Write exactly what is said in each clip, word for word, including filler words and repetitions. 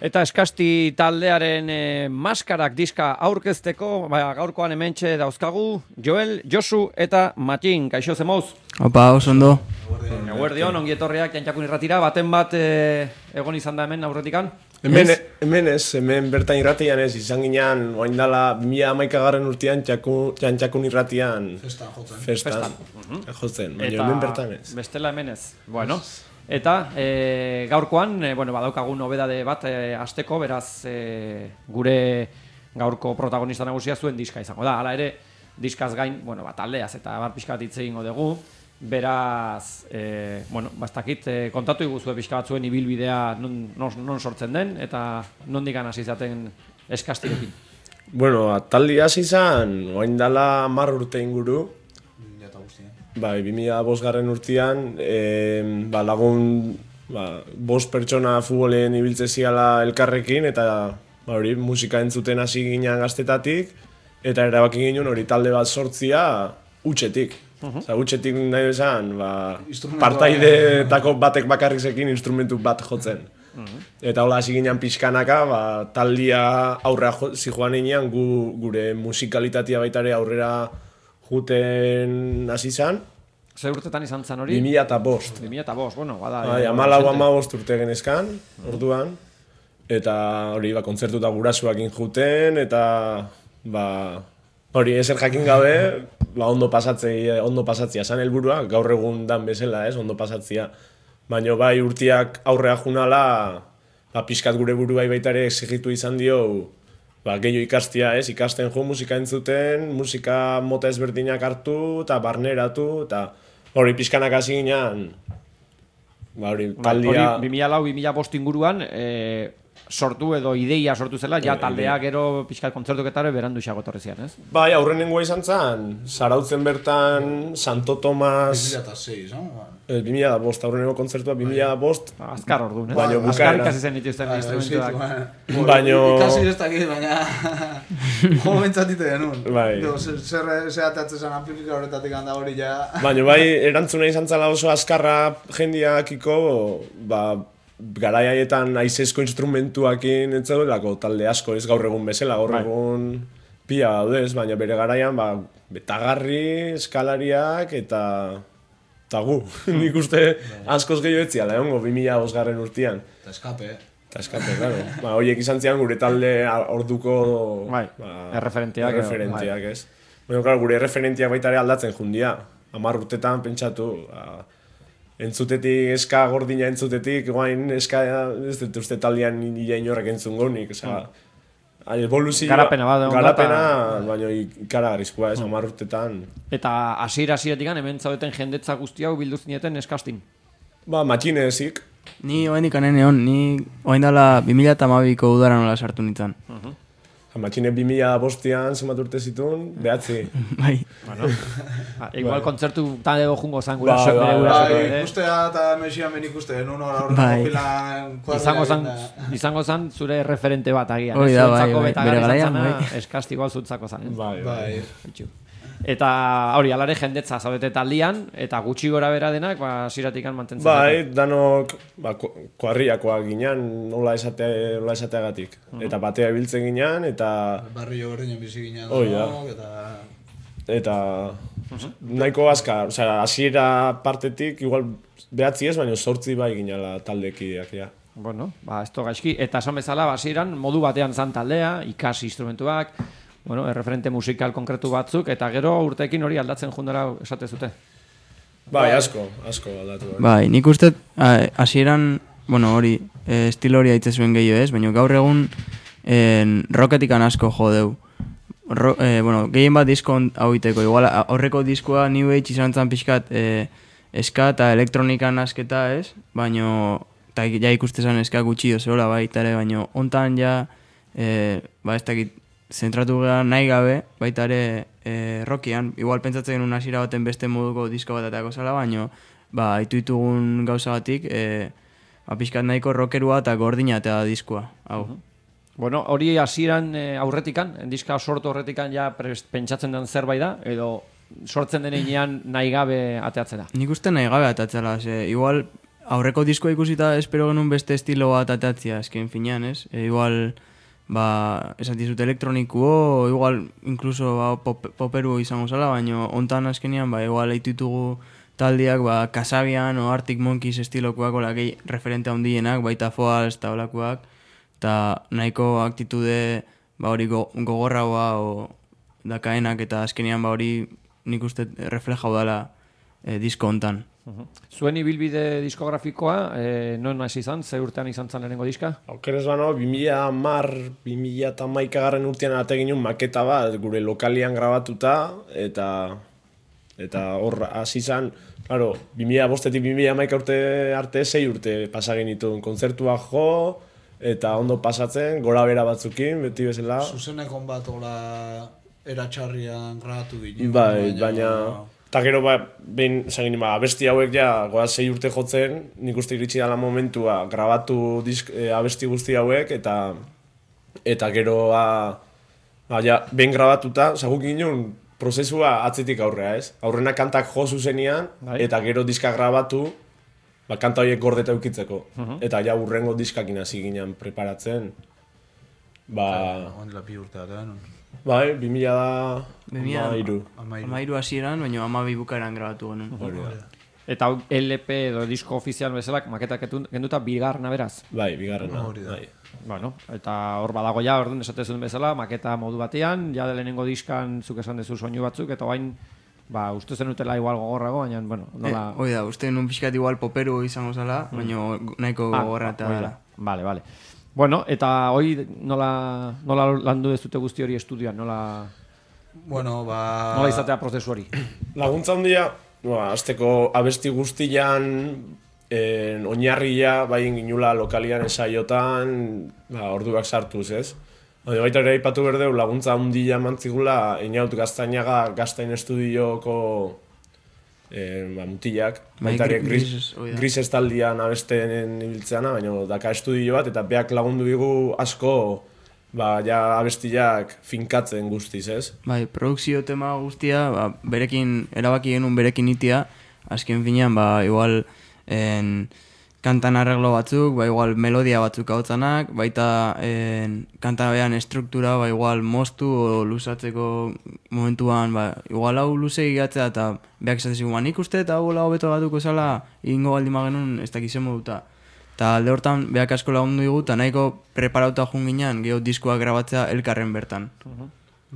Eta eskasti taldearen e, maskarak diska aurkezteko, ba, gaurkoan hementxe dauzkagu, Joel, Josu eta Matin, kaixo zemoz? Opa, oso ondo. Eguerdion, ongi etorriak jantxakun irratira, baten bat e, egon izan da hemen aurretikan? Hemen, hemen ez, hemen bertan irratian ez, izan ginean, oain dala, mila hamaikagarren urtean jantxakun irratian Festan jotzen. Festan, Festan. jotzen, baina hemen bertan ez. Bestela hemen ez, bueno. Eta e, gaurkoan, e, bueno, badaukagun nobedade bat e, asteko, beraz e, gure gaurko protagonista nagusia zuen diska izango da. Hala ere, diskaz gain, bueno, bat aldeaz eta bar pixka bat hitz egingo dugu. Beraz, e, bueno, bastakit e, kontatu iguzue pixka bat zuen ibilbidea non, non, non sortzen den eta nondik hasi izaten eskastirekin. Bueno, taldi hasi izan, oain dala hamar urte inguru. Bai, bi mila bosgarren urtean, e, ba, lagun ba, bost pertsona futbolen ibiltze ziala elkarrekin, eta ba, hori musika entzuten hasi ginean gaztetatik, eta erabaki ginen hori talde bat sortzia utxetik. Uh-huh. Osa, utxetik nahi bezan, ba, partaideetako batek bakarrizekin instrumentu bat jotzen. Uh-huh. Eta hola hasi ginen pixkanaka, ba, taldia aurrera zijoan inean, gu, gure musikalitatea baitare aurrera juten hasi izan. Zer urtetan izan zen hori? bi mila eta bost. bi mila eta bost, bueno, bada. Bai, hamalau hamabost urte genezkan, orduan. Eta hori, ba, kontzertuta gurasuakin juten, eta ba, hori, ezer jakin gabe, ba, ondo pasatzea, ondo pasatzea zan helburua, gaur egun dan bezala, ez, ondo pasatzea. Baina bai, urtiak aurrea junala, ba, pixkat gure buruai baitare exigitu izan dio, ba, gehiago ikastia, ez, ikasten jo, musika entzuten, musika mota ezberdinak hartu, eta barneratu, eta hori pixkanak hasi ginean, ba, hori, taldia... Hori, bi mila lau, bi mila bost inguruan, e, sortu edo ideia sortu zela, ja taldea gero pixkat kontzertuketare berandu xago etorri zian, ez? Bai, aurrenengoa izan zen, Zarautzen bertan, Santo Tomas... bi mila sei, no? bi mila bost, aurrenengo kontzertua, bi mila bost... Azkar orduan, ez? Baina Azkar ikasi zen dituzten instrumentuak. Baina... Ikasi ez dakit, baina... Jo bentsatite genuen. Bai. Zer zehateatzen zen amplifika horretatik handa hori ja... Baina bai, erantzuna izan zela oso azkarra jendiakiko, ba... Garai haietan aizezko instrumentuakin entzaduelako talde asko, ez gaur egun bezala, gaur egun pila daudez, baina bere garaian, ba, betagarri, eskalariak eta... eta gu, nik uste askoz gehiago etziala, egongo, bi mila bosgarren urtean. Eta eskape. Eta eskape, claro. Ba, horiek izan zian gure talde orduko... Bai, ba, erreferenteak. Erreferenteak, ez. Bueno, claro, gure erreferenteak baita ere aldatzen jundia. Hamar urtetan pentsatu, ba, entzutetik, eska gordina entzutetik, guain eska, ez dut uste taldean nila inorrek entzun gonik, oza... Evoluzioa... Garapena bat, Garapena, baina ikaragarrizkoa ez, hamar urtetan. Eta hasiera hasieratik hemen zaudeten jendetza guzti hau bildu zineten eskastin? Ba, matxinezik. Ni oain ikanen egon, ni oain dala bi mila eta hamabiko udara nola sartu nintzen. Uh-huh. Matxine bi mila bostean zenbat urte zituen, behatzi. Bai. Bueno, ba, igual kontzertu tan edo jungo zan gura Ba, sok ba, bere ba, gura Bai, sok, ikustea eta mesian ben ikuste, nun hor Bai. horreko filan... Izango zan, izango zan zure referente bat agian. Hori da, bai, Zuentzako bai, betagarri bere garaian, izan zana, bai. eskasti igual zuentzako zan. ez? Bai, bai. Bai. Itxu. Eta hori, alare jendetza zaudete taldian, eta gutxi gora bera denak, ba, ziratikan mantentzen. Bai, danok, ba, kuarriakoak ginean, nola esate, nola esateagatik. Eta batea ibiltzen ginean, eta... Barrio berdinen bizi ginen Hoi da. danok, eta... Eta... Nahiko azkar, osea, hasiera partetik, igual behatzi ez, baina sortzi bai ginala taldekideak, ja. Bueno, ba, esto gaizki. Eta esan bezala, basieran, modu batean zan taldea, ikasi instrumentuak, bueno, erreferente musikal konkretu batzuk, eta gero urteekin hori aldatzen jundara esate zute. Bai, asko, asko aldatu. Bai, nik uste, a, hasieran, bueno, hori, e, estilo hori aitze zuen gehiago ez, baina gaur egun en, rocketikan asko jodeu. Ro, e, bueno, gehien bat disko hau iteko, igual aurreko diskoa New Age izan zan pixkat e, eska eta elektronikan asketa ez, baina eta ja ikustezan eska gutxi ozola baita ere, baina hontan ja, e, ba ez dakit, zentratu gara nahi gabe, baita ere e, rockian, igual pentsatzen genuen hasiera baten beste moduko disko bat atako zala, baina ba, itu ditugun gauza batik, e, ba, pixkat nahiko rockerua eta gordina eta diskoa, hau. Uh-huh. Bueno, hori hasieran e, aurretikan, diska sortu aurretikan ja pentsatzen den zerbait da, edo sortzen denean nahi gabe ateatzen da? Nik uste nahi gabe ateatzela, ze, igual aurreko diskoa ikusita espero genuen beste estilo bat atatzia, esken finean, ez? E, igual, ba, esan dizut elektronikuo, igual, incluso ba, pop, poperu izango zala, baina ontan azkenean, ba, igual eititugu taldiak, ba, Kasabian o Arctic Monkeys estilokoak, ola, gehi referente handienak, baita Foals eta olakoak, eta nahiko aktitude, ba, hori go, gogorragoa, o dakaenak, eta azkenean, ba, hori nik uste reflejau dela e, disko hontan. Uh-huh. Zuen ibilbide diskografikoa, eh, non hasi izan, ze urtean izan zen lehenengo diska? Aukerez bano, bi mila hamar, bi mila hamaikagarren urtean ate ginen maketa bat gure lokalian grabatuta, eta eta hor hasi izan, claro, bi mila bostetik bi mila hamaika urte arte, sei urte pasa genituen kontzertua jo, eta ondo pasatzen, gora bera batzukin, beti bezala. Zuzenekon bat ola eratxarrian grabatu ginen. Bai, baina... Eta gero, ba, behin, zagin, ba, abesti hauek ja, goa sei urte jotzen, nik uste iritsi dela momentua, grabatu disk, e, abesti guzti hauek, eta eta gero, ba, ba ja, behin grabatuta, zaguk ginen, prozesua atzetik aurrea, ez? Aurrena kantak jo zuzenian, bai. Eta gero diska grabatu, ba, kanta horiek gordeta eukitzeko. Uh-huh. Eta ja, urrengo diskakin hasi ginen preparatzen. Ba... Ondela bi urte da, non? Bai, bi mila da... Amairu. Amairu hasieran, baina amabi bukaeran grabatu genuen. Eta L P edo disko ofizial bezalak maketak genduta bigarna beraz? Bai, bigarrena. Bai. Bueno, eta hor badago ja, orduan esatezun bezala, maketa modu batean, ja de lehenengo diskan zuk esan dezu soinu batzuk, eta bain, ba, uste zen utela igual gogorrago, baina, bueno, nola... Eh, Oida, uste nun pixkat igual poperu izango zala, mm. baina nahiko gogorra eta dela. Vale, vale. Bueno, eta hoi nola, nola landu dezute guzti hori estudioan, nola... Bueno, ba... Nola izatea prozesu hori? Laguntza handia, ba, azteko abesti guztian, en, oinarria, bai ginula lokalian esaiotan, ba, orduak sartuz, ez? Baina baita ere aipatu berdeu, laguntza handia mantzigula, inaut Gaztainaga, Gaztain estudioko eh, ba, mutilak, baita ere gris, gris estaldian abesten ibiltzeana, baina daka estudio bat, eta beak lagundu digu asko, ba, ja abestiak finkatzen guztiz, ez? Bai, produkzio tema guztia, ba, berekin, erabaki genuen berekin itia, azken finean, ba, igual, en, kantan arreglo batzuk, ba, igual, melodia batzuk hautzanak, baita, en, kanta behan estruktura, ba, igual, moztu o luzatzeko momentuan, ba, igual hau luze egiatzea, eta beak esatzen nik uste, eta hau lau beto batuko zala, egingo baldima genuen, ez dakizen moduta. Eta alde hortan, behak asko lagundu digu, eta nahiko preparauta jun ginen, geho diskoak grabatzea elkarren bertan. Uh-huh.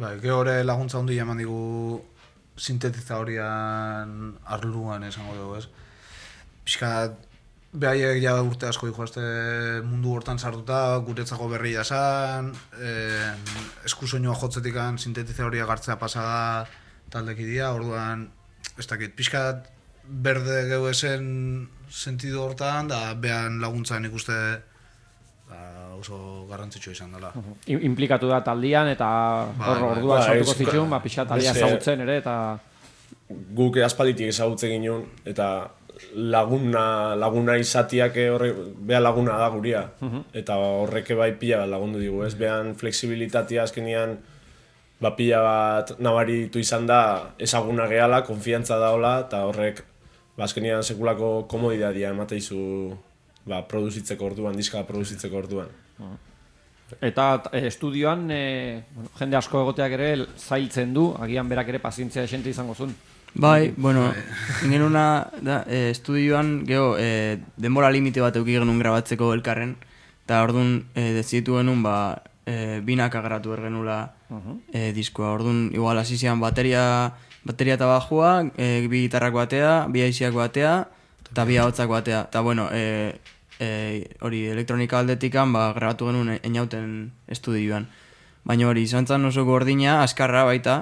Bai, geho hori laguntza hundi eman digu sintetizadorian arluan esango dugu, ez? Piskat, behaiek ja urte asko dijoazte mundu hortan sartuta, guretzako berri jasan, eh, eskusoinua jotzetikan sintetizadoria gartzea pasada taldekidia, orduan, ez dakit, piskat, berde gehu esen sentido hortan, da behan laguntzan ikuste da, oso garrantzitsua izan dela. Uh-huh. Implikatu da taldian, eta ba, hor ordua esautuko ba, zituen, ba, pixat taldia ezagutzen ere, eta... Guk aspalditik ezagutzen ginen, eta laguna, laguna izatiak horre, beha laguna da guria. Uh-huh. Eta horreke bai pila bat lagundu digu, ez? Behan flexibilitatea azkenean, ba pila bat nabaritu izan da, ezaguna gehala, konfiantza daola, eta horrek ba, azkenean sekulako komodidadia emateizu ba, produzitzeko orduan, diska produzitzeko orduan. Eta e, estudioan e, bueno, jende asko egoteak ere zailtzen du, agian berak ere pazientzia esente izango zuen. Bai, bueno, ingenuna da, e, estudioan geho e, denbora limite bat euki genuen grabatzeko elkarren, eta orduan e, dezitu genuen ba, e, binak agarratu ergenula uh-huh. e, diskoa. Orduan igual hasi zian bateria... Bateria eta bajua, e, bi gitarrak batea, bi aiziak batea, eta bi ahotzak batea. Eta, bueno, e, e, hori elektronika aldetikan, ba, grabatu genuen einauten estudioan. Baina hori, izan zen oso gordina, azkarra baita,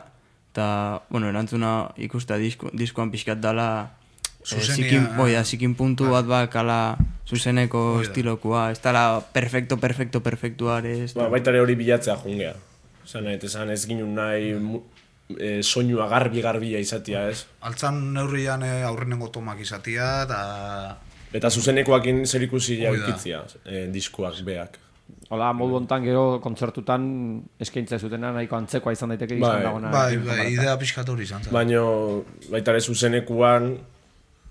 eta, bueno, erantzuna ikusta disko, diskoan pixkat dala, e, zikin, boida, zikin puntu bat bakala zuzeneko estilokoa. Ez dala perfecto, perfecto, perfectuare. Ba, baita ere hori bilatzea jungea. Zan, esan ez ginen nahi... E, soinua garbi-garbia izatea, ez? Altzan neurrian e, aurrenengo tomak izatea, eta... Eta zuzenekoakin zer ikusi jaukitzia, e, diskuak, beak. Hola, modu hontan gero kontzertutan eskaintza zutena nahiko antzekoa izan daiteke izan bai, dagoena. Bai, bai, idea pixkat hori izan zen. Baina, baita ere zuzenekuan,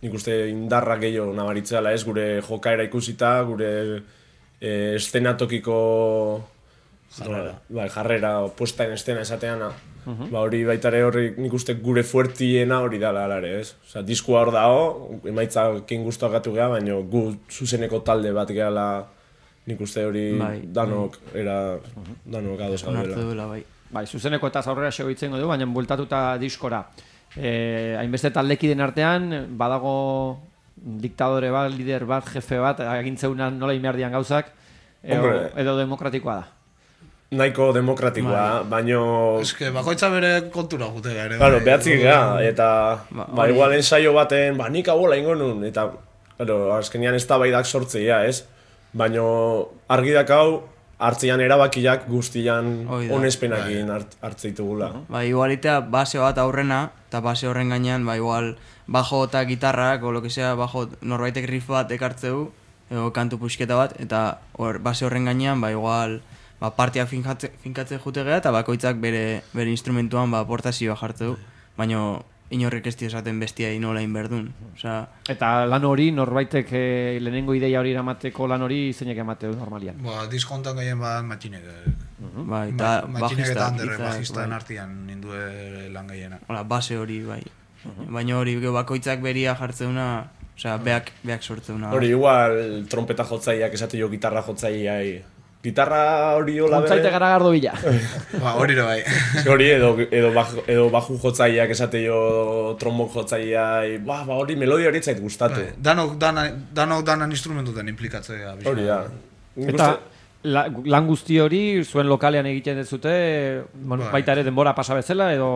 nik uste indarra gehiago nabaritzela, ez, gure jokaera ikusita, gure e, estenatokiko jarrera, bai, jarrera, puesta en estena esateana, uh-huh. ba, hori baitare horri nik uste gure fuertiena hori dala alare, ez? Osa, diskua hor dago, emaitza kein guztuak gatu geha, baina gu zuzeneko talde bat gehala nik uste hori bai, danok, bai. era, uh-huh. danok ados gaudela. Bai. bai, zuzeneko eta aurrera segoitzen du, baina bueltatuta diskora. Eh, hainbeste taldekiden artean, badago diktadore bat, lider bat, jefe bat, agintzeunan nola inberdian gauzak, edo, edo demokratikoa da. Nahiko demokratikoa, baino... Ez que bakoitza bere kontura jute gara. Claro, behatzik gara, eta ba, ba, igual ensaio baten, ba, nik abola ingo nun, eta claro, azkenean ez da baidak sortzea, ez? Baino argi dakau, hartzean erabakiak guztian onespenakin hart, hartzeitugula. Ba, igualitea base bat aurrena, eta base horren gainean, ba, igual, bajo eta gitarrak, o lo que sea, bajo norbaitek riff bat ekartzeu, edo kantu pusketa bat, eta or, base horren gainean, ba, igual, ba, partia finkatze, finkatze jute geha, eta bakoitzak bere, bere instrumentuan, ba, portazioa jartzeu, baina inorrek ez esaten bestiai nola inberdun. Osea... Eta lan hori, norbaitek eh, lehenengo ideia hori eramateko lan hori zeinek emateu normalian? Ba, diskontan gehien bat matxinek. Uh-huh. Ba, eta Ma, matxinek eta handerre, bajista bai. artian nindue lan gehiena. Hola, base hori, bai. Uh-huh. Baina hori, bakoitzak beria jartzeuna, osea, beak, beak sortzeuna. Hori, igual, trompeta jotzaileak esate jo gitarra jotzaileai. Gitarra hori hola bere... Kontzaite garagardo bila. Ba, hori ere bai. Hori, edo, edo, baju, edo baju jotzaileak esate jo trombok jotzaileai, ba, ba, hori melodia hori zait gustatu. Bai. Danok, dana, danok danan instrumentuten implikatzea. Hori da. Eta la, lan guzti hori zuen lokalean egiten dezute, bueno, bai. baita ere denbora pasa bezala, edo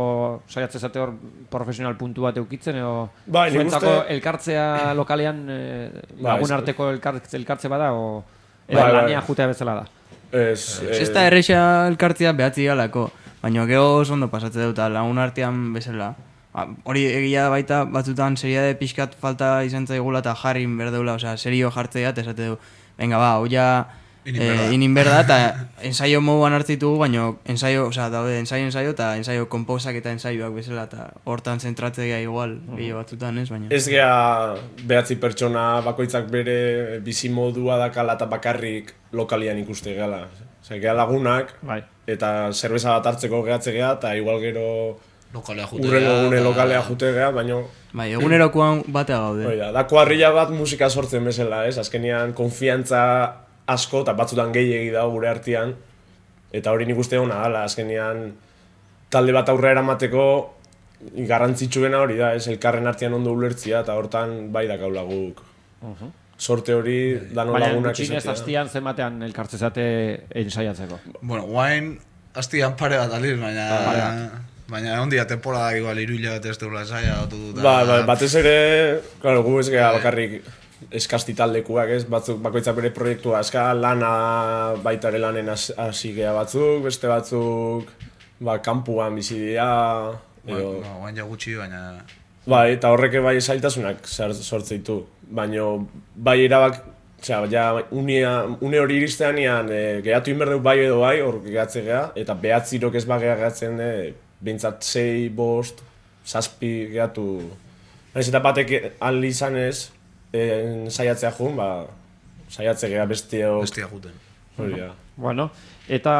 saiatze zate hor profesional puntu bat eukitzen, edo bai, zuentzako uste... elkartzea lokalean eh, bai, lagun arteko elkartze, elkartze bada, o, edo bai, lania bai. Jutea bezala da. Ez, ez da erresa elkartzea behatzi galako, baina gero oso ondo pasatze dut, lagun artean bezala. Hori egia baita batzutan seriade pixkat falta izan zaigula eta jarri berdeula, osea, serio jartzea eta esate du, venga ba, hau ja inin berda, eta ensaio moduan hartzitugu, baina ensaio, osea, daude ensaio ensaio eta ensaio komposak eta ensaioak bezala, eta hortan zentratzea igual, gehiago batzutan ez, baina... Ez gea behatzi pertsona bakoitzak bere bizi modua dakala eta bakarrik lokalian ikuste gehala. Osea, gea lagunak, bai. Eta zerbeza bat hartzeko gehatze gea, eta igual gero... Urrengo gune lokalea jute geha, baina... Bai, egunerokoan batea gaude. Oida, da kuarrilla bat musika sortzen bezala, ez? Azkenean konfiantza asko, eta batzutan gehiegi dago gure artean, eta hori nik uste hona dala, azkenean talde bat aurrera eramateko garrantzitsuena hori da, ez? Elkarren artean ondo ulertzia, eta hortan bai dakaula guk. Uh-huh. Sorte hori dano lagunak izatea. Baina, gutxinez hastian zenbatean elkartzezate ensaiatzeko? Bueno, guain hastian pare bat aliz, baina... Ah, baina egon dia temporada igual iruila bat ez deula esaia dut dut. Ba, ba, batez ere, claro, gu ez geha bakarrik eskasti taldekuak, ez? Batzuk bakoitzak bere proiektua eska, lana baitare lanen hasi geha batzuk, beste batzuk, ba, kanpuan bizi dira, edo... Ba, guain ja gutxi, baina... Bai, eta horreke bai zailtasunak sortzeitu, baina bai erabak, osea, ja, unia, une hori iristean ean, e, gehatu inberdeu bai edo bai, hor gehatze geha, eta behatzirok ez bagea gehatzen, e, bintzat sei, bost, zazpi gehatu. Naiz eta batek aldi izan ez, en, saiatzea jun, ba, saiatze geha bestiok... Bestia juten. Hori da. Bueno, eta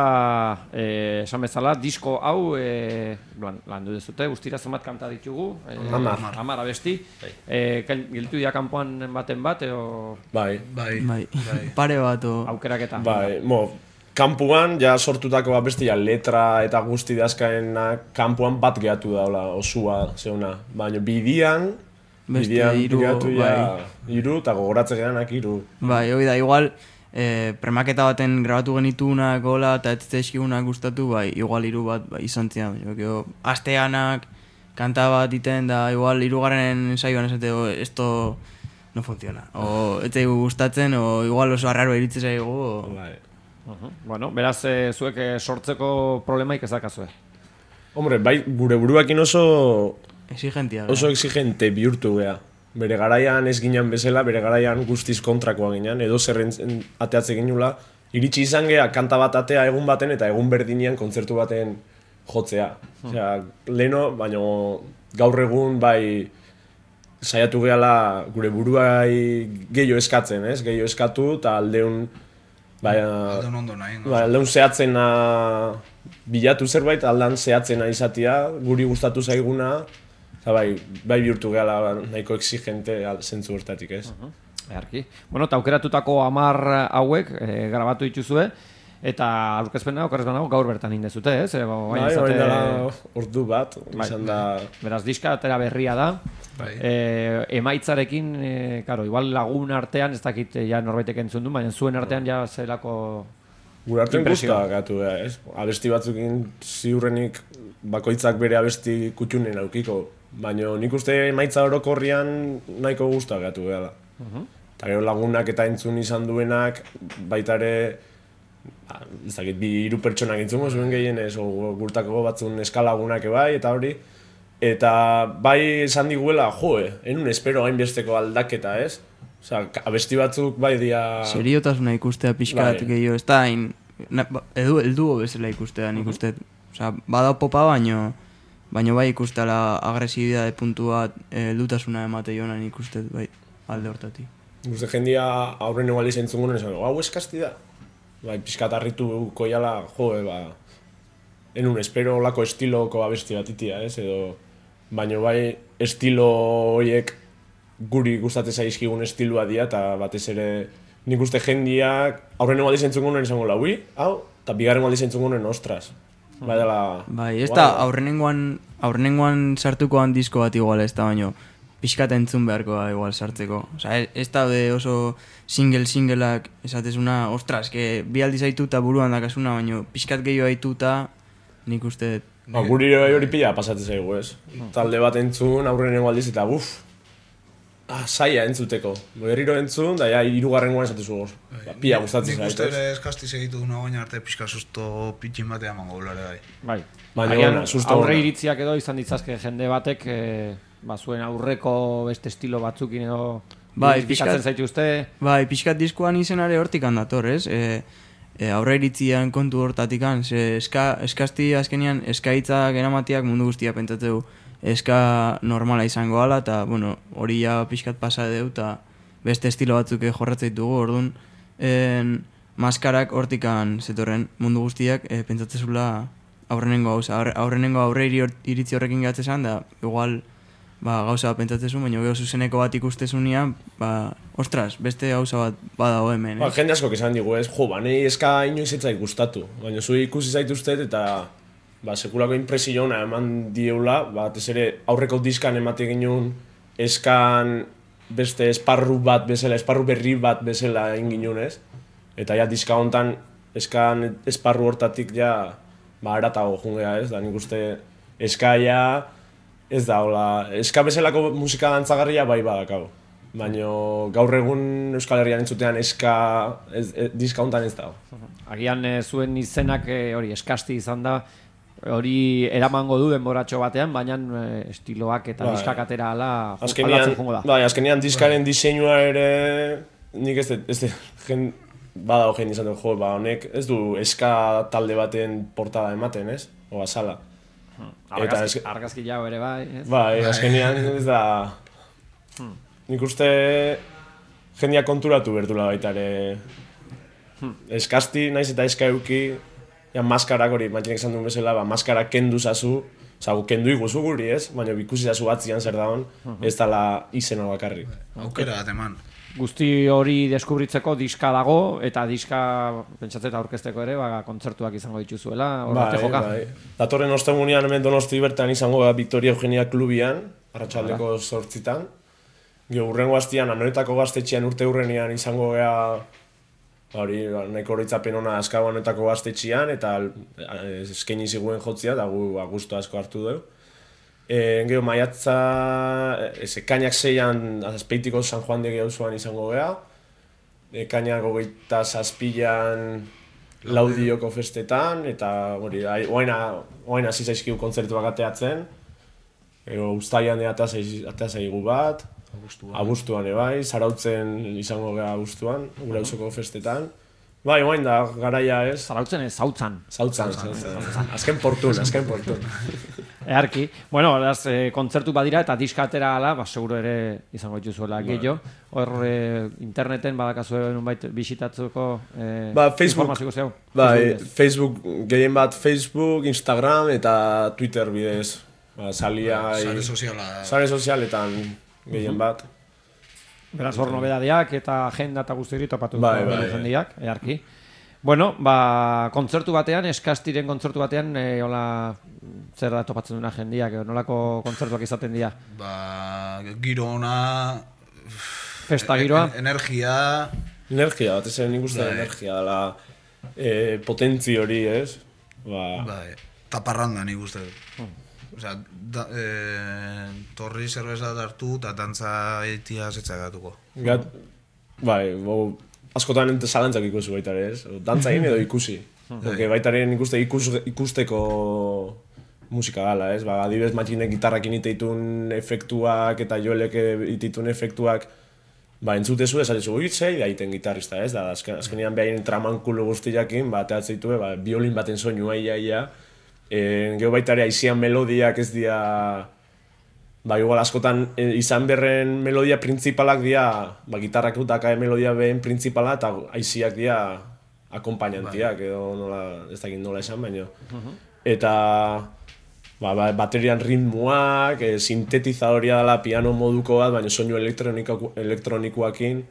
eh, esan bezala, disko hau eh, lan, landu dezute, guztira zenbat kanta ditugu? Eh, Amar. Amar abesti. Eh, Giltu dira kanpoan baten bat, edo... Bai. Bai. Bai. Pare bat, o... Aukeraketa. Bai, mo... Kampuan, ja sortutako bat bestia letra eta guzti dazkaena kampuan bat gehatu daula, osua, zeuna. Baina bidian, bidian iru, gehatu ja, bai. iru, eta gogoratze gehanak iru. Bai, hori da, igual, eh, premaketa baten grabatu genitunak, gola, eta ez tezkigunak gustatu, bai, igual iru bat bai, izan zian. Baina, asteanak, kanta bat iten, da igual irugarren ensaioan esate, o, esto no funciona. O, ez zaigu gustatzen, o igual oso arraro iritze zaigu, o... Bai. Uh-huh. Bueno, beraz, eh, zuek eh, sortzeko problemaik ez dakazue. Hombre, bai, gure buruakin oso... Exigentia. Oso exigente bihurtu geha. Bere garaian ez ginen bezala, bere garaian guztiz kontrakoa ginen, edo zerren ateatze ginula. Iritsi izan geha kanta bat atea egun baten eta egun berdinean kontzertu baten jotzea. Hmm. Osea, leno, baina gaur egun bai saiatu gehala gure buruai gehiago eskatzen, ez? Gehiago eskatu eta aldeun baina Aldeun ondo nahi. Ba, aldeun zehatzena bilatu zerbait, aldan zehatzena izatea, guri gustatu zaiguna, eta bai, bai bihurtu gehala nahiko exigente zentzu hortatik, ez? Uh-huh. Earki. Bueno, eta aukeratutako hamar hauek e, grabatu dituzue, eta aurkezpena okerrez banago gaur bertan indezute, ez? E, bai, izate... orain dela ordu bat, bai, izan da... Beraz, diska atera berria da. Bai. E, emaitzarekin, e, karo, igual lagun artean, ez dakit ja norbaitek entzun du, baina zuen artean ja zelako... Gure artean guztua gatu, ez? Abesti batzukin ziurrenik bakoitzak bere abesti kutxunen aukiko, baina nik uste emaitza orokorrian nahiko guztua gatu gala. Uh-huh. Eta gero lagunak eta entzun izan duenak, baita ere, ba, ez dakit, bi hiru pertsonak entzungo zuen gehienez, o gurtako batzun eskalagunak bai, eta hori. Eta bai esan diguela, joe, enun espero hainbesteko aldaketa, ez? Osea, abesti batzuk bai dia... Seriotasuna ikustea pixkat bai. Gehiago, ez da hain... Edu, elduo bezala ikustea nik uste. Osea, bada popa baino, baino bai ikustea la agresibidade puntua eldutasuna emate joan nik uste, bai, alde hortatik. Guzti jendia aurren eguali zentzungun esan, hau eskasti da? Bai, pixkat harritu koiala, joe, ba... Enun espero lako estiloko abesti bat itia, ez? Edo... Baina bai estilo horiek guri gustatzen zaizkigun estilua dira, eta batez ere nik uste jendiak aurren eguali zentzungunen esango la, ui, hau, eta bigarren eguali zentzungunen, ostras. Bai, dela... Bai, ez da, aurrenengoan, aurrenengoan sartukoan disko bat igual ez da, baino pixkat entzun beharko da igual sartzeko. Osa, ez da de oso single-singleak esatezuna, ostras, que bi aldiz haitu eta buruan dakasuna, baino pixkat gehiago haitu eta nik uste... Ba, guri hori pila pasatzen zaigu, ez? Talde bat entzun, aurrenengo aldiz eta buf, ah, saia entzuteko. Berriro entzun, da ja, hirugarrengoan esatezu goz. Ba, pila gustatzen zaitu. Nik uste ere eskasti segitu duna baina arte pixka susto pitxin batean mango ulare bai. Bai. Baina, aurre iritziak edo izan ditzazke jende batek, e, ba, zuen aurreko beste estilo batzukin edo... Bai, pixkat zaitu uste... Bai, pixkat diskoan izenare hortik handator, ez? E, e, aurre iritzian kontu hortatik an, ze eska, eskasti azkenean eskaitzak eramatiak mundu guztia pentsatzeu eska normala izango ala, eta bueno, hori ja pixkat pasa deu, eta beste estilo batzuk jorratzeit dugu, orduan en, maskarak hortikan zetorren mundu guztiak e, pentsatzezula aurrenengo gauza, aurre, aurrenengo aurre iritzi horrekin gatzezan, da igual ba, gauza bat pentsatzezu, baina gero zuzeneko bat ikustezunean, ba, ostras, beste gauza bat badago hemen, eh? Ba, jende asko esan digu, ez, jo, ba, nahi eska inoiz etzait gustatu, baina zu ikusi zaituztet eta ba, sekulako impresio ona eman dieula, ba, ez ere aurreko diskan emate ginen eskan beste esparru bat bezala, esparru berri bat bezala egin ez? Eta ja, diska hontan eskan esparru hortatik ja, ba, eratago jungea, ez? Da, nik uste eskaia, ez da, hola, eska bezalako musika dantzagarria bai badakau. Baina gaur egun Euskal Herrian entzutean eska, ez, ez, diska hontan ez da. Agian e, zuen izenak e, hori eskasti izan da, hori eramango du denboratxo batean, baina e, estiloak eta bai, diskak atera ala aldatzen jongo da. Bai, azkenean diskaren diseinua ere, nik ez dut, ez dut, jen, badago jen izan dut, jo, ba, honek ez du eska talde baten portada ematen, ez? O azala. Argazki, argazki jau ere bai, ez? Bai, azkenean ez da... Hmm. Nik uste jendia konturatu berdula baita ere. Hmm. Eskasti, naiz eta eska euki, ja, maskarak hori, mantxinek esan duen bezala, ba, maskarak kendu zazu, oza, kendu iguzu guri, ez? Baina ikusi zazu batzian zer daun, uh-huh, ez dala izena bakarrik. Aukera bat eman. Guzti hori deskubritzeko diska dago, eta diska, pentsatzeta aurkezteko ere, ba, kontzertuak izango dituzuela, horrate joka. Bai. Datorren ostegunean hemen Donosti bertan izango da Victoria Eugenia Klubian, arratsaldeko zortzitan. Gero urrengo astian, Anoetako gaztetxean urte urrenean izango gea, hori, nahiko horitzapen ona Azkaba Anoetako gaztetxean, eta eskaini ziguen jotzia, da gu gustu asko hartu dugu. E, gero maiatza, ekainak zeian azpeitiko San Juan de Geuzuan izango gea, ekainak hogeita zazpilan Laudioko festetan, eta hori, oain hasi zaizkigu kontzertuak ateatzen, gero uztaian atea zaigu bat, Abuztuan ebai, Zarautzen izango gea abuztuan, gure auzoko festetan, Bai, oain da, garaia ez. Zarautzen ez, zautzan. Zautzan, zautzan. Azken portun, azken portun. Earki. Bueno, beraz, eh, kontzertu badira eta diska atera ala, ba, seguro ere izango dituzuela gehiago. Hor eh, interneten badakazue nunbait bisitatzeko eh, ba, Facebook, informazio zeu. Bai, Facebook, gehien bat Facebook, Instagram eta Twitter bidez. Ba, salia... Sare soziala. Sare sozialetan gehien bat. Beraz, hor nobedadeak eta agenda eta guzti hori topatu bai, bai, jendiak, earki. Bueno, ba, kontzertu batean, eskastiren kontzertu batean, e, hola, zer da topatzen duna jendiak, nolako kontzertuak izaten dira? Ba, giro ona... Festa giroa? Energia... Energia, bat ezen nik uste energia dela e, potentzi hori, ez? Ba... Bai, taparranda nik uste. Osea, da, e, torri zerbeza hartu eta dantza eitia zetza gatuko. Gat, bai, bo, askotan ente zalantzak ikusi baita ere, ez? Dantza egin edo ikusi. Porque baita ere ikuste ikus, ikusteko musika gala, ez? Ba, adibidez matxinek gitarrak initeitun efektuak eta joelek ititun efektuak ba, entzutezu esatezu, ui, zei da iten gitarrista, ez? Da, azken, azkenean behaien tramankulu guztiakin, ba, teatzeitu, ba, biolin baten soinua ia, ia. E, Gero baita ere aizian melodiak ez dira... Ba, igual askotan e, izan berren melodia principalak dira, ba, gitarrak dutaka melodia behen principala eta aiziak dira akompainantiak, edo nola, ez dakit nola esan, baina. Eta ba, ba, baterian ritmoak, e, sintetizadoria dela piano moduko bat, baina soinu elektronikoakin.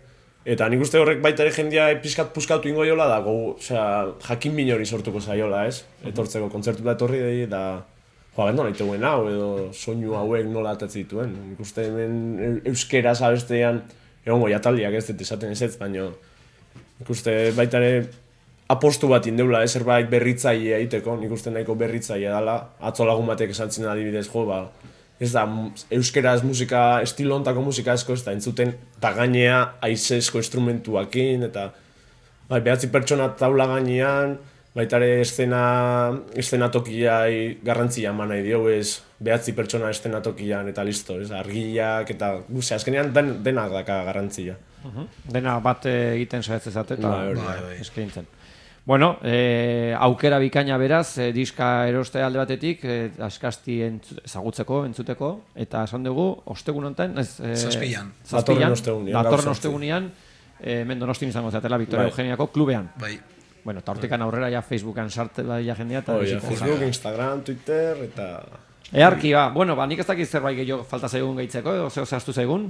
Eta nik uste horrek baita ere jendia pizkat puskatu ingo jola da, go, osea, jakin min hori sortuko zaiola, ez? Etortzeko kontzertu da etorri dei, eta... Joa, nola iteuen hau, edo soinu hauek nola atatzi dituen. Nik uste hemen euskera zabestean, egongo jataldiak ez dut esaten ez ez, baina nik uste baita ere apostu bat indeula, ez zerbait berritzailea egiteko, nik uste nahiko berritzailea dela, atzo lagun batek esaltzen adibidez, jo, ba, ez da, euskeraz musika, estilo ontako musika asko, ez da, entzuten, eta gainea aizezko instrumentuakin, eta bai, behatzi pertsona taula gainean, baita ere eszena, eszenatokiai garrantzia eman nahi dio, ez behatzi pertsona eszenatokian eta listo, ez argiak eta guze, azkenean den, denak daka garrantzia. Uh-huh. Dena bat egiten saiatzen zate eta bai, bai, bai. eskaintzen. Bueno, eh, aukera bikaina beraz, eh, diska eroste alde batetik, eh, askasti entzu, ezagutzeko, entzuteko, eta esan dugu, ostegun honetan, ez... Eh, Zazpilan. Datorren ostegunian. Datorren ostegunian, eh, hemen Donostin izango zatela, Victoria bai. Eugeniako klubean. Bai. Bueno, eta hortikan aurrera ja Facebookan sarte ja jendea eta... Oh, ja, Facebook, Instagram, Twitter, eta... Earki, ba, bueno, ba, nik ez dakit zerbait gehiago falta zaigun gehitzeko, edo zeo zehaztu zaigun?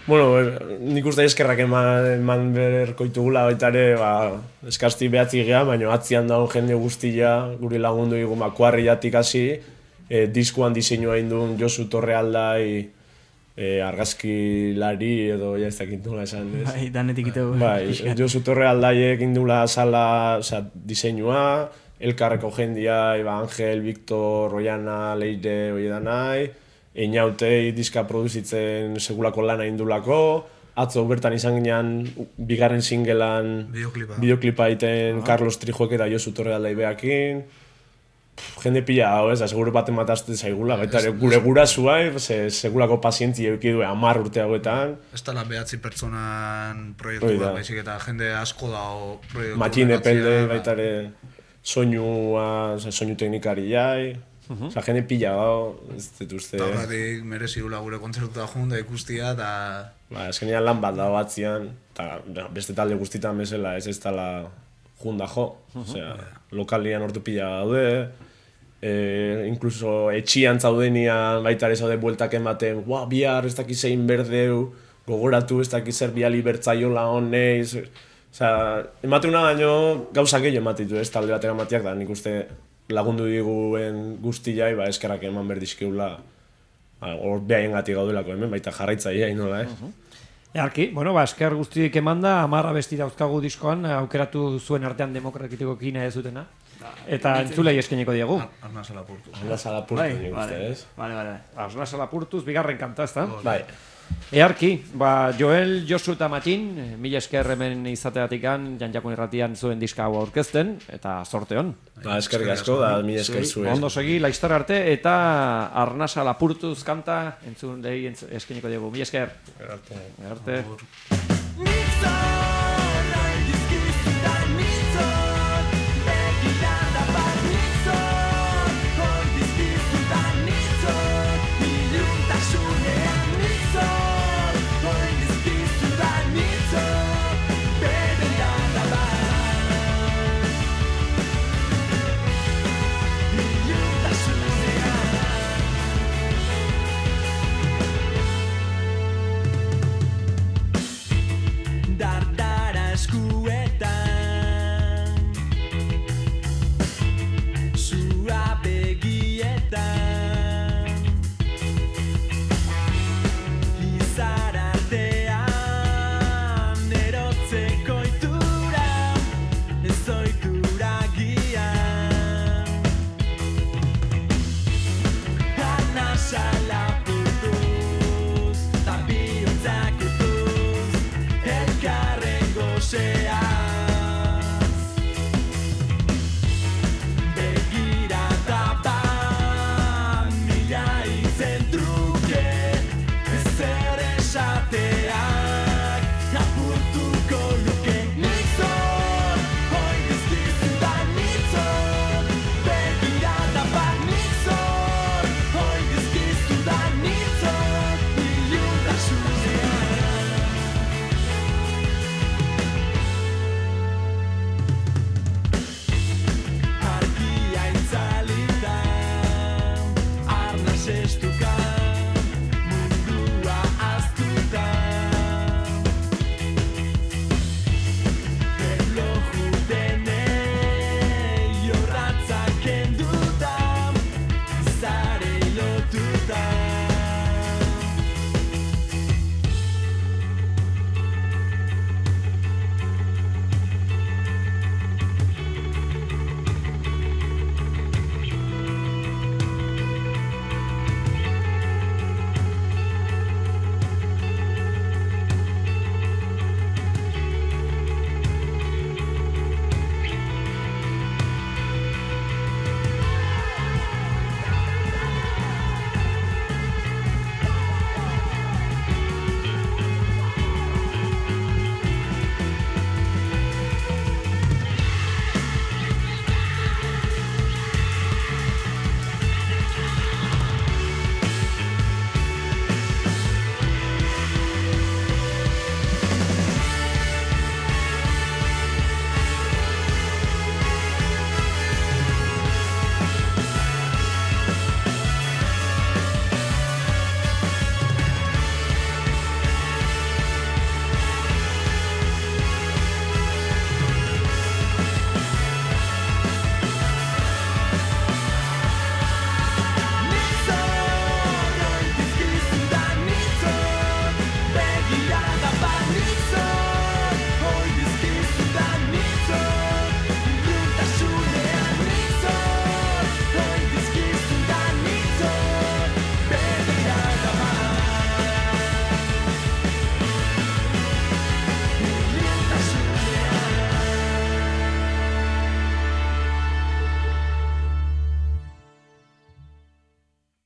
Bueno, er, nik uste eskerrak eman, eman berko itugula baita ere, ba, eskasti behatzi geha, baina atzian daun jende guztia, guri lagundu dugu makuarriatik hasi, e, diskuan diseinua induen Josu Torrealdai, e, argazkilari edo ja ez dakit nola esan, ez? Bai, danetik itegu. Bai, Josu Torrealdaiek indula sala, osea, diseinua, elkarreko jendia, Iba Angel, Victor, Oiana, Leire, Oiedanai, Einautei diska produzitzen segulako lana indulako, atzo bertan izan ginean bigarren singelan Bideoklipa. bideoklipa egiten Carlos Trijuek eta Josu Torrealdai behakin. Jende pila hau ez, seguru baten matazte zaigula, baita ere gure gurasua, se, segulako pazientzia euki du hamar urte hauetan. Ez dela behatzi pertsonan proiektu bat, baizik eta jende asko dago proiektu. Matxin epelde, baita ere soinua, soinu teknikari jai, oza, jende pila hau, ez dut uste. Eta horretik merezi dula gure kontzertuta junda ikustia, eta... Ba, eskenean lan bat dago batzian, eta beste talde guztitan bezala ez ez dela junda jo, osea, lokalian ordu pila daude, e, incluso etxian zaudenian baita ere zaude bueltak ematen, ua, bihar ez dakiz egin berdeu, gogoratu ez dakiz zer biali bertzaiola honeiz, osea, emateuna baino gauza gehiago ematitu ez talde batek ematiak da, nik uste lagundu diguen guztiai, ba, eskerrak eman berdizkeula, hor behaien gati gaudelako hemen, baita jarraitzaia inola, eh? Earki, bueno, ba, esker guztiek emanda, amarra besti dauzkagu diskoan, aukeratu zuen artean demokratiko kina ez dutena. Eta entzulei eskeniko diegu. Arna Salapurtu. Arna Salapurtu, Bai, nik vale, uste, ez? vale, vale. Arna Salapurtuz, bigarren kanta, ez da? Bai. Earki, ba, Joel, Josu eta Matxin, mila esker hemen izateatikan, Janjakun Irratian zuen diska hau aurkezten, eta sorte hon. Ba, eskerrik asko, da, mila esker zuen. Ondo segi, laiztar arte, eta Arnasa Lapurtuz kanta, entzun lehi eskeniko diegu. Mila esker. Arte. Arte. Nik zara dizkizut